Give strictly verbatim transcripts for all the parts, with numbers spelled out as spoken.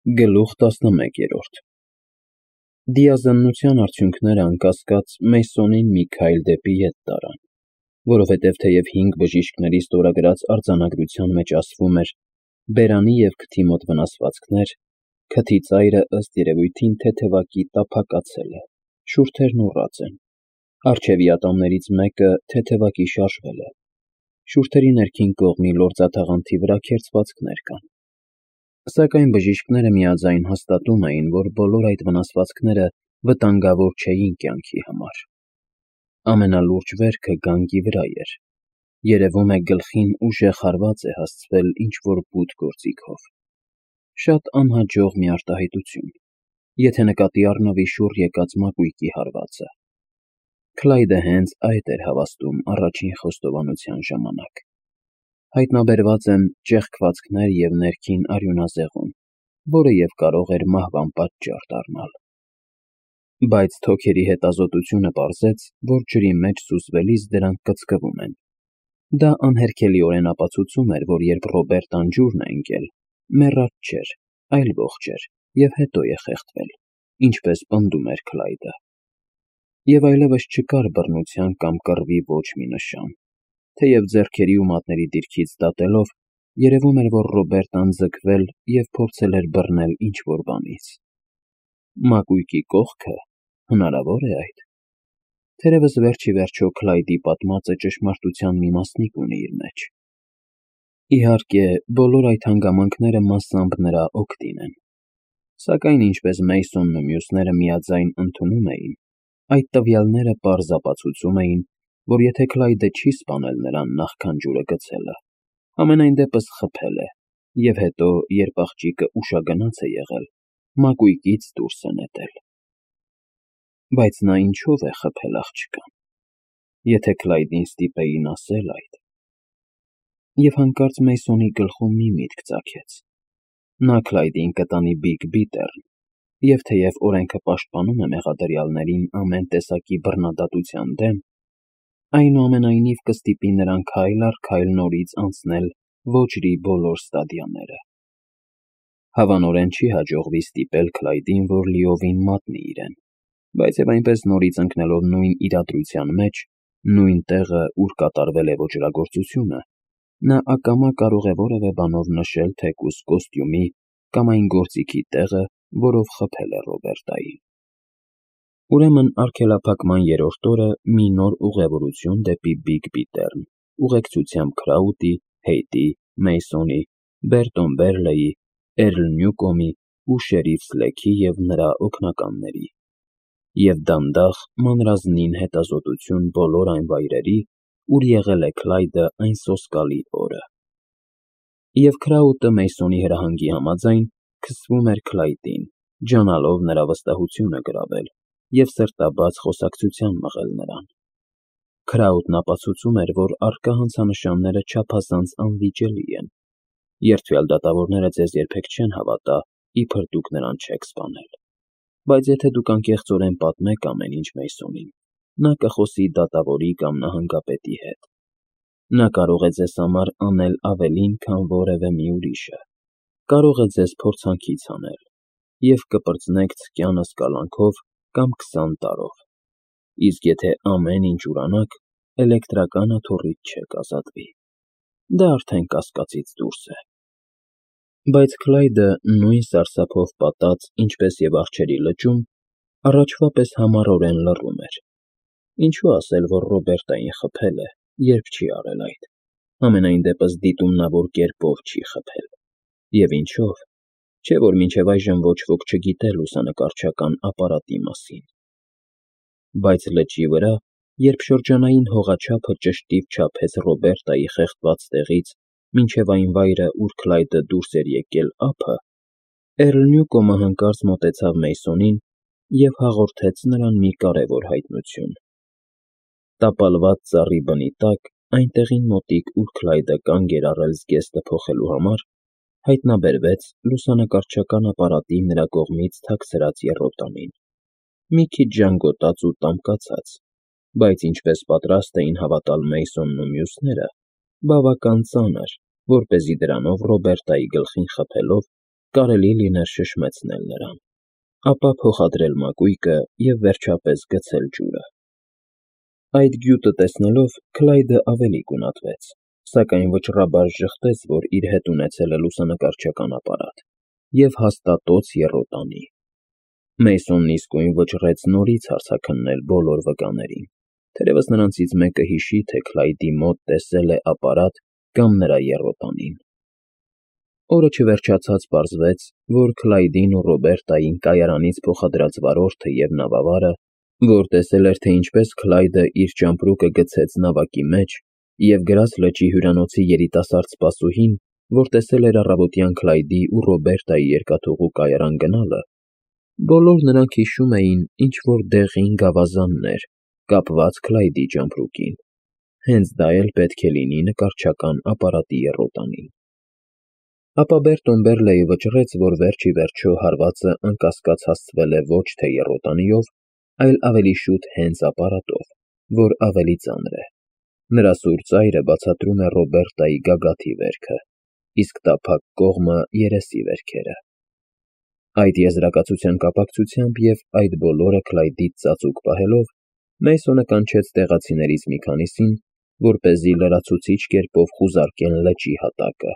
Գլուխ տասնմեկերորդ Դիազննության արդյունքները անկասկած Մեյսոնին մի քայլ դեպի ետ տարան, որովհետև թեև հինգ բժիշկների ստորագրած արձանագրության մեջ ասվում էր բերանի և քթի մոտ վնասվածքներ, քթի ծայրը ըստ երևույթին թեթևակի տափակացել է, շուրթերն ուռած են, առջևի ատամներից մեկը թեթևակի շարժվել է, շուրթերի ներքին կողմի լորձաթաղանթի վրա քերծվածքներ կան, սակայն բժիշկները միաձայն հաստատում էին, որ բոլոր այդ վնասվածքները վտանգավոր չէին կյանքի համար։ Ամենալուրջ վերքը գանգի վրա էր, երևում է գլխին ուժեղ հարված է հասցվել ինչ-որ բութ գործիքով։ Շատ անհաջող մի արտահայտություն, եթե նկատի առնվի շուռ եկած մակույկի հարվածը։ Քլայդը հենց այդ էր հավաստում առաջին խոստովանության ժամանակ։ Հայտնաբերված են ճեղքվածքներ և ներքին արյունազեղում, որը և կարող էր մահվան պատճառ դառնալ։ Բայց թոքերի հետազոտությունը պարզեց, որ ջրի մեջ սուզվելիս դրանք կծկվում են։ Դա անհերքելիորեն ապացուցում էր, որ երբ Ռոբերտան ջուրն է ընկել, մեռած չէր, այլ ողջ էր և հետո է խեղդվել, ինչպես պնդում էր Քլայդը։ Եվ այլևս չկար բռնության կամ կռվի ոչ մի նշան, թեև ձեռքերի ու մատների դիրքից դատելով, երևում էր, որ Ռոբերտան ձգվել և փորձել էր բռնել ինչ-որ բանից։ Մակույկի կողքը, հնարավոր է այդ։ Թերևս վերջ ի վերջո Քլայդի պատմածը ճշմարտության մի մասնիկ ունի իր մեջ։ Իհարկե, բոլոր այդ հանգամանքները մասամբ նրա օգտին են։ Սակայն ինչպես Մեյսոնն ու մյուսները միաձայն ընդունում էին, այդ տվյալները պարզ ապացուցում էին, որ եթե Քլայդը չի սպանել նրան նախքան ջուրը գցելը, համենայն դեպս խփել է և հետո, երբ աղջիկը ուշագնաց է եղել, մակույկից դուրս է նետել։ Բայց նա ինչո՞վ է խփել աղջկան, եթե Քլայդին ստիպեին ասել այդ։ Եվ հանկարծ Մեյսոնի գլխում մի միտք ծագեց. նա Քլայդին կտանի Բիգ-Բիթեռն, և թեև օրենքը պաշտպանում է մեղադրյալներին ամեն տեսակի բռնադատության դեմ, այնուամենայնիվ կստիպի նրան քայլ առ քայլ նորից անցնել ոճրի բոլոր ստադիաները։ Հավանորեն չի հաջողվի ստիպել Քլայդին, որ լիովին մատնի իրեն, բայց և այնպես նորից ընկնելով նույն իրադրության մեջ, նույն տեղը, ուր կատարվել է ոճրագործությունը, նա ակամա կարող է որևէ բանով նշել թեկուզ կոստյումի կամ այն գործիքի տեղը, որով խփել է Ռոբերտային։ Ուրեմն արգելափակման երրորդ օրը մի նոր ուղևորություն դեպի Բիգ-Բիթեռն, ուղեկցությամբ Քրաուտի, Հեյտի, Մեյսոնի, Բերտոն Բերլեյի, Էրլ Նյուկոմի ու շերիֆ Սլեքի և նրա օգնականների, և դանդաղ, մանրազնին հետազոտություն բոլոր այն վայրերի, ուր եղել է Քլայդը այն սոսկալի օրը։ Եվ Քրաուտը Մեյսոնի հրահանգի համաձայն քսվում էր Քլայդին, ջանալով նրա վստահությունը գրավել և սրտաբաց խոսակցության մղել նրան։ Քրաուտն ապացուցում էր, որ առկա հանցանշանները չափազանց անվիճելի են։ Երդվյալ դատավորները ձեզ երբեք չեն հավատա, իբր դուք նրան չեք սպանել։ Բայց եթե դուք անկեղծորեն պատմեք ամեն ինչ Մեյսոնին, նա կխոսի դատավորի կամ նահանգապետի հետ։ Նա կարող է ձեզ համար անել ավելին, քան որևէ մի ուրիշը, կարող է ձեզ փորձանքից հանել, և կպրծնեք ցկյանը սկալանքով կամ քսան տարով, իսկ եթե ամեն ինչ ուրանաք, էլեկտրական աթոռից չեք ազատվի։ Դա արդեն կասկածից դուրս է։ Բայց Քլայդը, նույն սարսափով պատած, ինչպես և առջևի լճում, առաջվա պես համառորեն լռում էր։ Ինչու ասել, որ Ռոբերտային խփել է, երբ չի արել այդ, համենայն դեպս դիտումնավոր կերպով չի խփել։ Եվ ինչո՞վ, չէ՞ որ մինչև այժմ ոչ ոք չգիտեր լուսանկարչական ապարատի մասին։ Բայց լճի վրա, երբ շրջանային հողաչափը ճշտիվ չափեց Ռոբերտայի խեղդված տեղից մինչև այն վայրը, ուր Քլայդը դուրս էր եկել ափը, Էրլ Նյուկոմը հանկարծ մոտեցավ Մեյսոնին և հաղորդեց նրան մի կարևոր հայտնություն։ Տապալված ծառի բնի տակ, այնտեղին մոտիկ, ուր Քլայդը կանգ էր առել զգեստը փոխելու համար, հայտնաբերվեց լուսանկարչական ապարատի նրա կողմից թաքցրած եռոտանին, մի քիչ ժանգոտած ու տամկացած, բայց ինչպես պատրաստ էին հավատալ Մեյսոնն ու մյուսները, բավական ծանր, որպեսզի դրանով Ռոբերտայի գլխին խփելով կարելի լիներ շշմեցնել նրան, ապա փոխադրել մակույկը և վերջապես գցել ջուրը։ Այդ գյուտը տեսնելով Քլայդը ավելի գունատվեց, սակայն վճռաբար ժխտեց, որ իր հետ ունեցել է լուսանկարչական ապարատ, և հաստատոց եռոտանի։ Մեյսոնն իսկույն վճռեց նորից հարցաքննել բոլոր վկաներին, թերևս նրանցից մեկը հիշի, թե Քլայդի մոտ տեսել է ապարատ կամ նրա եռոտանին։ Օրը չվերջացած պարզվեց, որ Քլայդին ու Ռոբերտային կայարանից փոխադրած վարորդը և նավավարը, որ տեսել էր, թե ինչպես Քլայդը իր ճամպրուկը գցեց նավակի մեջ, և գրած լճի հյուրանոցի երիտասարդ սպասուհին, որ տեսել էր առավոտյան Քլայդի ու Ռոբերտայի երկաթուղու կայարան գնալը, բոլոր նրանք հիշում էին ինչ-որ դեղին գավազաններ, կապված Քլայդի ճամպրուկին, հենց դա էլ պետք է լինի նկարչական ապարատի եռոտանին։ Ապա Բերտոն Բերլեյը վճռեց, որ վերջ ի վերջո հարվածը անկասկած հասցվել է ոչ թե եռոտանիով, այլ ավելի շուտ հենց ապարատով, որ ավելի ծանր է։ Նրա սուր ծայրը բացատրում է Ռոբերտայի գագաթի վերքը, իսկ տափակ կողմը երեսի վերքերը։ Այդ եզրակացության կապակցությամբ և այդ բոլորը Քլայդից ծածուկ պահելով, Մեյսոնը կանչեց տեղացիներից մի քանիսին, որպեսզի լրացուցիչ կերպով խուզարկեն լճի հատակը,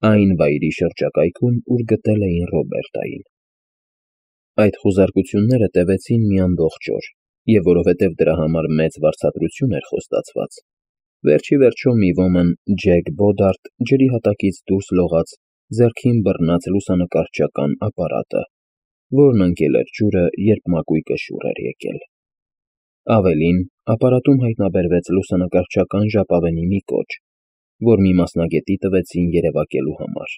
այն վայրի շրջակայքում, ուր գտել էին Ռոբերտային։ Այդ խուզարկությունները տևեցին մի ամբողջ օր, և որովհետև դրա համար մեծ վարձատրություն էր խոստացված, վերջ ի վերջո մի ոմն Ջեք Բոդարդ ջրի հատակից դուրս լողաց ձեռքին բռնած լուսանկարչական ապարատը, որն ընկել էր ջուրը, երբ մակույկը շուռ էր եկել։ Ավելին, ապարատում հայտնաբերվեց լուսանկարչական ժապավենի մի կոճ, որ մի մասնագետի տվեցին երևակելու համար,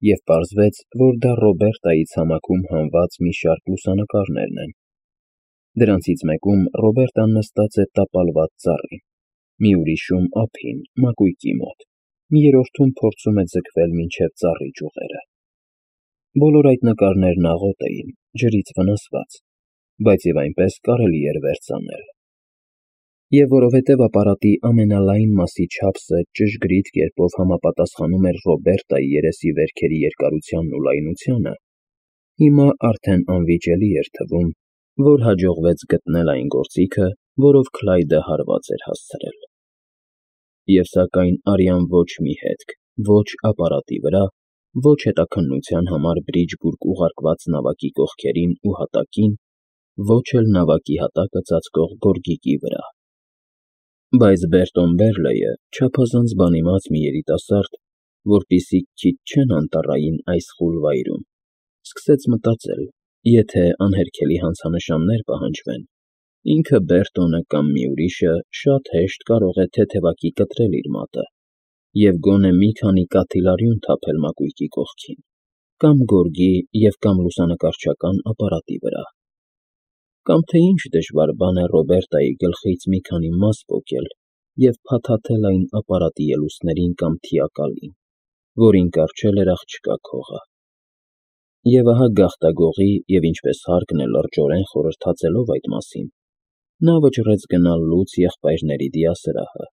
և պարզվեց, որ դա Ռոբերտայի ցամաքում հանված մի շարք լուսանկարներն են։ Դրանցից մեկում Ռոբերտան նստած է տապալված ծառին, մի ուրիշում ափին, մակույկի մոտ, մի երրորդում փորձում է ձգվել մինչև ծառի ճյուղերը։ Բոլոր այդ նկարներն աղոտ էին, ջրից վնասված, բայց և այնպես կարելի էր վերծանել։ Եվ որովհետև ապարատի ամենալայն մասի չափսը ճշգրիտ կերպով համապատասխանում էր Ռոբերտայի երեսի վերքերի երկարությանն ու լայնությանը, հիմա արդեն անվիճելի էր թվում, որ հաջողվեց գտնել այն գործիքը, որով Քլայդը հարված էր հասցրել։ Եվ սակայն արյան ոչ մի հետք, ոչ ապարատի վրա, ոչ հետաքննության համար Բրիջբուրգ ուղարկված նավակի կողքերին ու հատակին, ոչ էլ նավակի հատակը ծածկող գորգիկի վրա։ Բայց Բերտոն Բերլեյը, չափազանց բանիմաց մի երիտասարդ, որպիսի քիչ չեն անտառային այս խուլ վայրում, սկսեց մտածել, եթե անհերքելի հանցանշաններ պահանջվեն, ինքը Բերտոնը կամ մի ուրիշը շատ հեշտ կարող է թեթևակի կտրել իր մատը և գոնե մի քանի կաթիլարյուն թափել մակույկի կողքին, կամ գորգի և կամ լուսանկարչական ապարատի վրա, կամ թե ինչ դժվար բան է Ռոբերտայի գլխից մի քանի մաս պոկել և փաթաթել այն ապարատի ելուստներին կամ թիակալին, որին կառչել էր աղջկա քողը։ Եվ ահա գաղտագողի և ինչպես հարկն է լրջորեն խորհրդածելով այդ մասին, նա վճռեց գնալ լուծ եղբայրների դիասրահը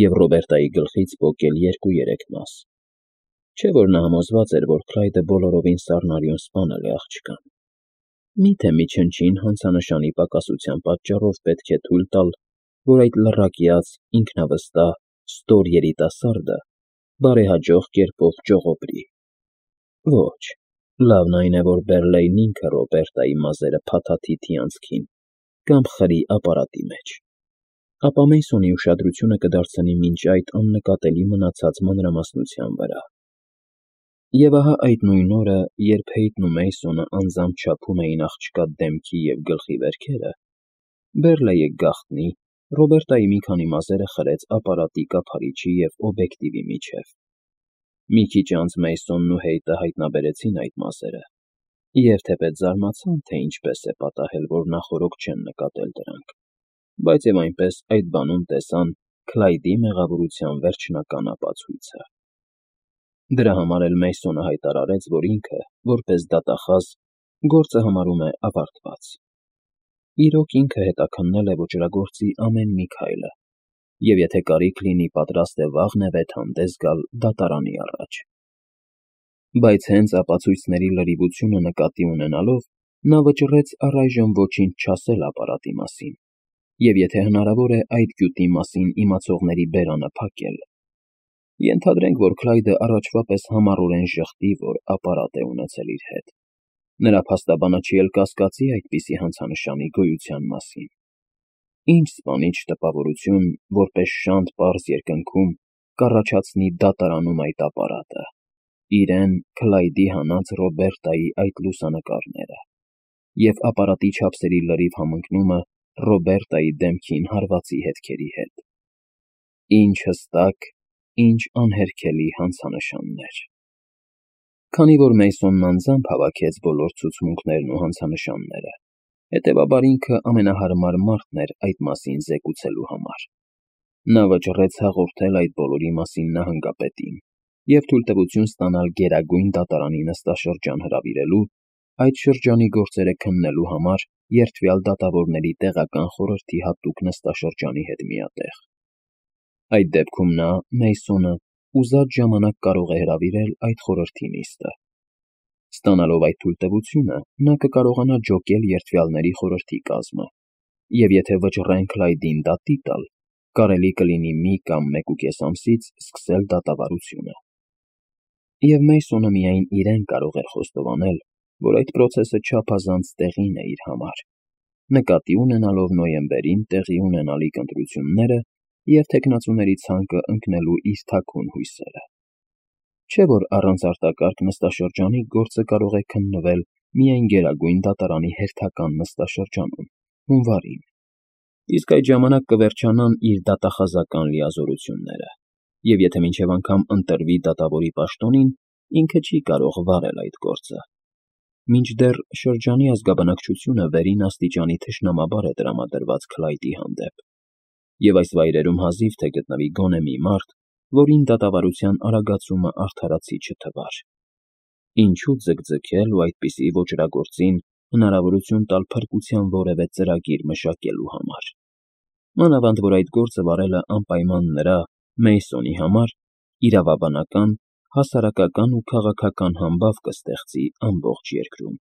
և Ռոբերտայի գլխից պոկել երկու֊երեք մաս, չէ՞ որ նա համոզված էր, որ Քլայդը բոլորովին սառնարյուն սպանել է աղջկան։ Մի՞թե մի չնչին հանցանշանի պակասության պատճառով պետք է թույլ տալ, որ այդ լռակյաց, ինքնավստահ, ստոր երիտասարդը բարեհաջող կերպով ճողոպրի։ Ոչ, լավն այն է, որ Բերլեյն ինքը Ռոբերտայի մազերը փաթաթի թիանցքին կամ խրի ապարատի մեջ, ապա Մեյսոնի ուշադրությունը կդարձնի մինչ այդ աննկատելի մնացած մանրամասնության վրա։ Եվ ահա այդ նույն օրը, երբ Հեյթն ու Մեյսոնը անձամբ չափում էին աղջկա դեմքի և գլխի վերքերը, Բերլեյը գաղտնի Ռոբերտայի մի քանի մազերը խրեց ապարատի կափարիչի և օբյեկտիվի միջև։ Մի քիչ անց Մեյսոնն ու Հեյթը հայտնաբերեցին այդ մազերը և թեպետ զարմացան, թե ինչպես է պատահել, որ նախօրոք չեն նկատել դրանք, բայց և այնպես այդ բանում տեսան Քլայդի մեղավորության վերջնական ապացույցը։ Դրա համար էլ Մեյսոնը հայտարարեց, որ ինքը, որպես դատախազ, գործը համարում է ավարտված։ Իրոք ինքը հետաքննել է ոճրագործի ամեն մի քայլը և եթե կարիք լինի, պատրաստ է վաղնևեթ հանդես գալ դատարանի առաջ։ Բայց հենց ապացույցների լրիվությունը նկատի ունենալով, նա վճռեց առայժմ ոչինչ չասել ապարատի մասին, և եթե հնարավոր է այդ գյուտի մասին իմացողների բերանը փակել։ Ենթադրենք, որ Քլայդը առաջվա պես համառորեն ժխտի, որ ապարատ է ունեցել իր հետ։ Նրա փաստաբանը չի էլ կասկածի այդպիսի հանցանշանի գոյության մասին։ Ինչ սպանիչ տպավորություն, որպես շանտ պարզ երկնքում, կառաջացնի դատարանում այդ ապարատը, իրեն, Քլայդի հանած Ռոբերտայի այդ լուսանկարները և ապարատի չափսերի լրիվ համընկնումը Ռոբերտայի դեմքին հարվածի հետքերի հետ։ Ինչ հստակ, ինչ անհերքելի հանցանշաններ։ Քանի որ Մեյսոնն անձամբ հավաքեց բոլոր ցուցմունքներն ու հանցանշանները, հետևաբար ինքը ամենահարմար մարդն էր այդ մասին զեկուցելու համար։ Նա վճռեց հաղորդել այդ բոլորի մասին նահանգապետին և թույլտվություն ստանալ Գերագույն դատարանի նստաշրջան հրավիրելու, այդ շրջանի գործերը քննելու համար երդվյալ դատավորների տեղական խորհրդի հատուկ նստաշրջանի հետ միատեղ։ Այդ դեպքում նա, Մեյսոնը, ուզած ժամանակ կարող է հրավիրել այդ խորհրդի նիստը։ Ստանալով այդ թույլտվությունը, նա կկարողանա ջոկել երդվյալների խորհրդի կազմը, և եթե վճռեն Քլայդին դատի տալ, կարելի կլինի մի կամ մեկուկես ամսից սկսել դատավարությունը։ Եվ Մեյսոնը միայն իրեն կարող էր խոստովանել, որ այդ պրոցեսը չափազանց տեղին է իր համար, նկատի ունենալով նոյեմբերին տեղի ունենալիք ընտրությունները և թեկնածուների ցանկը ընկնելու իր թաքուն հույսերը։ Չէ՞ որ առանց արտակարգ նստաշրջանի գործը կարող է քննվել միայն Գերագույն դատարանի հերթական նստաշրջանում, հունվարին, իսկ այդ ժամանակ կվերջանան իր դատախազական լիազորությունները, և եթե մինչև անգամ ընտրվի դատավորի պաշտոնին, ինքը չի կարող վարել այդ գործը։ Մինչդեռ շրջանի ազգաբնակչությունը վերին աստիճանի թշնամաբար է տրամադրված Քլայդի հանդեպ, և այս վայրերում հազիվ թե գտնվի գոնե մի մարդ, որին դատավարության արագացումը արդարացի չթվար։ Ինչու՞ ձգձգել ու այդպիսի ոճրագործին հնարավորություն տալ փրկության որևէ ծրագիր մշակելու համար։ Մանավանդ որ այդ գործը վարելը անպայման նրա՝ Մեյսոնի համար իրավաբանական, հասարակական ու քաղաքական համբավ կստեղծի ամբողջ երկրում։